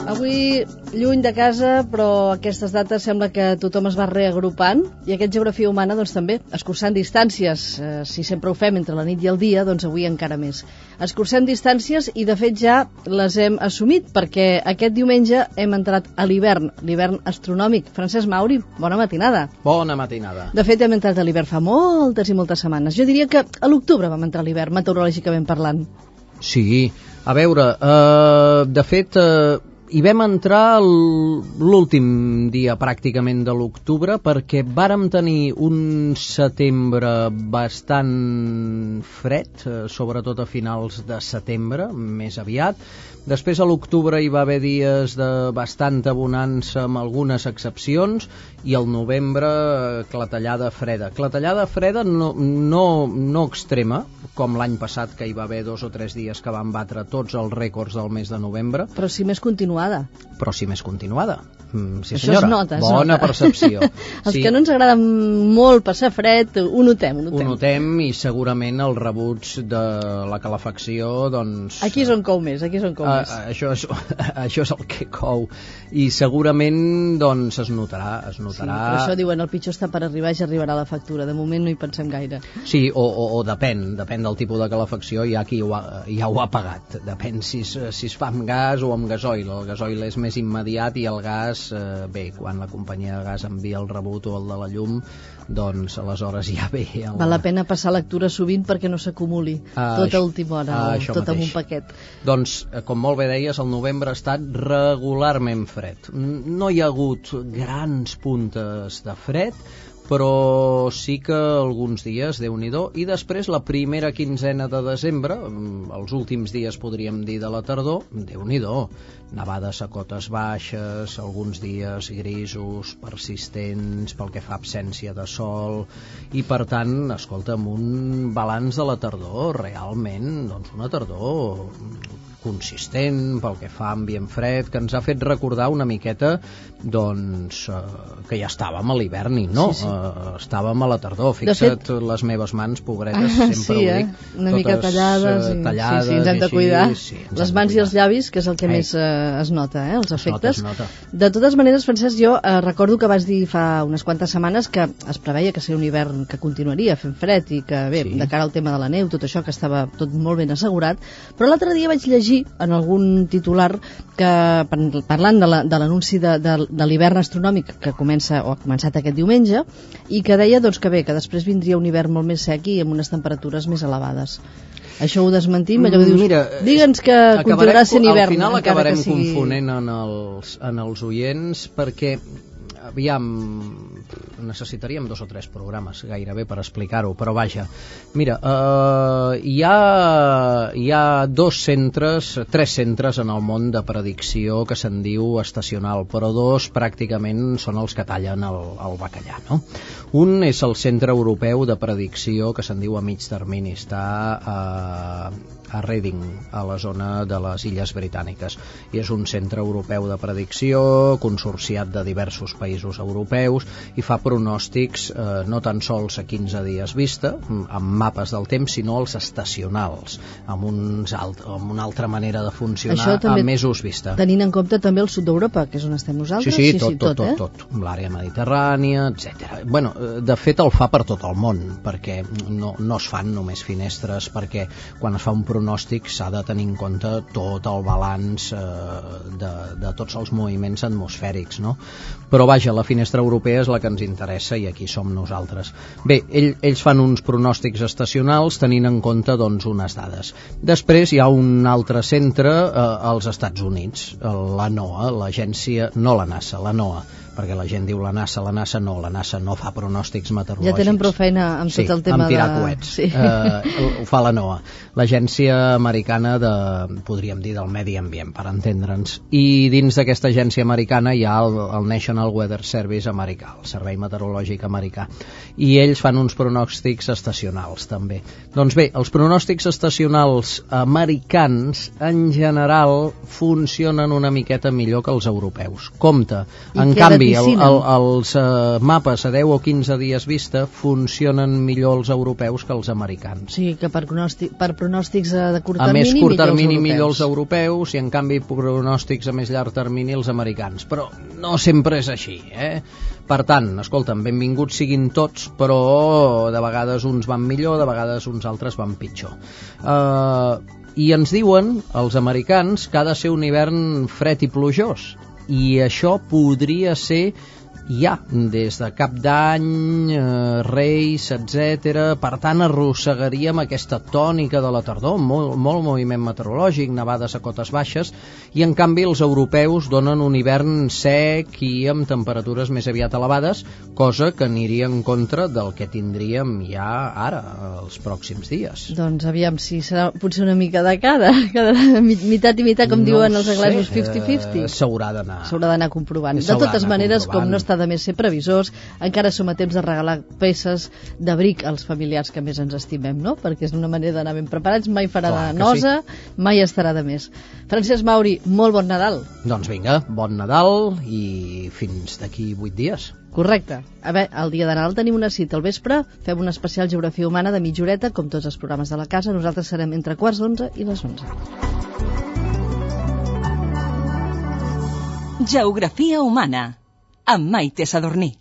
Avui, lluny de casa, però aquestes dates sembla que tothom es va reagrupant i aquest Geografia Humana doncs també, escurçant distàncies. Si sempre ho fem entre la nit i el dia, doncs avui encara més. Escurçant distàncies i de fet ja les hem assumit perquè aquest diumenge hem entrat a l'hivern astronòmic. Francesc Mauri, bona matinada. Bona matinada. De fet hem entrat a l'hivern fa moltes i moltes setmanes. Jo diria que a l'octubre vam entrar a l'hivern, meteorològicament parlant. Sí, a veure, de fet... hi vam entrar l'últim dia pràcticament de l'octubre perquè vàrem tenir un setembre bastant fred, sobretot a finals de setembre, més aviat. Després a l'octubre hi va haver dies de bastanta bonança amb algunes excepcions i al novembre clatellada freda. Clatellada freda no extrema, com l'any passat que hi va haver 2 o 3 dies que van batre tots els rècords del mes de novembre. Però sí més continuada. Sí, senyora. Això es nota. Bona percepció. Els que no ens agrada molt passar fred, ho notem. Ho notem i segurament els rebuts de la calefacció, doncs... Aquí és on cou més, Això és el que cou. I segurament, doncs, es notarà. Sí, per això diuen, el pitjor està per arribar i ja arribarà la factura. De moment no hi pensem gaire. Sí, o depèn del tipus de calefacció, hi ha qui ja ho ha pagat. Depèn si es fa amb gas o amb gasoil. El gasoil és més immediat i el gas, bé, quan la companyia de gas envia el rebut o el de la llum, doncs aleshores ja ve... Val la pena passar lectura sovint perquè no s'acumuli tota última hora, tot amb un paquet. Doncs, com molt bé deies, el novembre ha estat regularment fred. No hi ha hagut grans puntes de fred, però sí que alguns dies, Déu-n'hi-do, i després la primera quinzena de desembre, els últims dies podríem dir de la tardor, Déu-n'hi-do, nevades a cotes baixes, alguns dies grisos, persistents pel que fa a absència de sol, i per tant, escolta'm, un balanç de la tardor, realment, doncs una tardor consistent pel que fa a ambient fred, que ens ha fet recordar una miqueta doncs que ja estàvem a l'hivern i no, sí. Estàvem a la tardor. Fixa't, fet, les meves mans, pobretes, sempre ho dic, una mica tallades, tallades, sí, ens hem de cuidar. Sí, les mans i els llavis, que és el que més es nota, els efectes. Es nota. De totes maneres, Francesc, jo recordo que vas dir fa unes quantes setmanes que es preveia que seria un hivern que continuaria fent fred i que, bé, de cara al tema de la neu, tot això que estava tot molt ben assegurat, però l'altre dia vaig llegir en algun titular que, parlant de l'anunci de l'hivern astronòmic que comença o ha començat aquest diumenge, i que deia doncs, que bé, que després vindria un hivern molt més sec i amb unes temperatures més elevades. Això ho desmentim? Allò que dius, mira, digue'ns que continuarà sent hivern. Al final acabarem confonent en els oients perquè aviam, necessitaríem 2 o 3 programes gairebé per explicar-ho, però vaja, mira, hi ha 3 centres en el món de predicció que se'n diu estacional, però 2 pràcticament són els que tallen el bacallà, no? Un és el Centre Europeu de Predicció, que se'n diu a mig termini, està a Reading, a la zona de les Illes Britàniques, i és un centre europeu de predicció consorciat de diversos països europeus i fa pronòstics no tan sols a 15 dies vista amb mapes del temps, sinó els estacionals amb una altra manera de funcionar a mesos vista. Tenint en compte també el sud d'Europa, que és on estem nosaltres. Sí, tot, l'àrea mediterrània, etc. Bueno, de fet el fa per tot el món, perquè no es fan només finestres, perquè quan es fa un pronòstic s'ha de tenir en compte tot el balanç de tots els moviments atmosfèrics, no? Però vaja, la finestra europea és la que ens interessa i aquí som nosaltres. Bé, ells fan uns pronòstics estacionals tenint en compte doncs unes dades. Després hi ha un altre centre als Estats Units, la NOAA, l'agència, no la NASA, la NOAA, perquè la gent diu la NASA no fa pronòstics meteorològics. Ja tenen prou feina amb tot el tema amb tirar coets. Sí. Ho fa la NOAA, l'agència americana podríem dir del medi ambient, per entendre'ns. I dins d'aquesta agència americana hi ha el National Weather Service americà, el Servei Meteorològic americà. I ells fan uns pronòstics estacionals, també. Doncs bé, els pronòstics estacionals americans, en general, funcionen una miqueta millor que els europeus. Compte, en canvi, canvi, els mapes a 10 o 15 dies vista funcionen millor els europeus que els americans. Sí, que per pronòstics de curt termini, a més curt termini millor els europeus i en canvi pronòstics a més llarg termini els americans, però no sempre és així, Per tant, escolta'm, benvinguts siguin tots, però de vegades uns van millor, de vegades uns altres van pitjor. I ens diuen, els americans, que ha de ser un hivern fred i plujós, i això podria ser ja des de Cap d'Any, Reis, etc. Per tant, arrossegaríem aquesta tònica de la tardor, molt moviment meteorològic, nevades a cotes baixes, i en canvi els europeus donen un hivern sec i amb temperatures més aviat elevades, cosa que aniria en contra del que tindríem ja ara, els pròxims dies. Doncs aviam si serà potser una mica de cada meitat i meitat, com diuen els anglesos, 50-50. S'haurà d'anar comprovant. De totes maneres, com no està de més ser previsors, encara som a temps de regalar peces d'abric als familiars que més ens estimem, no? Perquè és una manera d'anar ben preparats, mai farà de nosa, mai estarà de més. Francesc Mauri, molt bon Nadal. Doncs vinga, bon Nadal i fins d'aquí 8 dies. Correcte. A veure, el dia de Nadal tenim una cita al vespre, fem una especial Geografia Humana de mitja horeta, com tots els programes de la casa. Nosaltres serem entre 10:15 i les 11. Geografia Humana amb Maite Sadurní.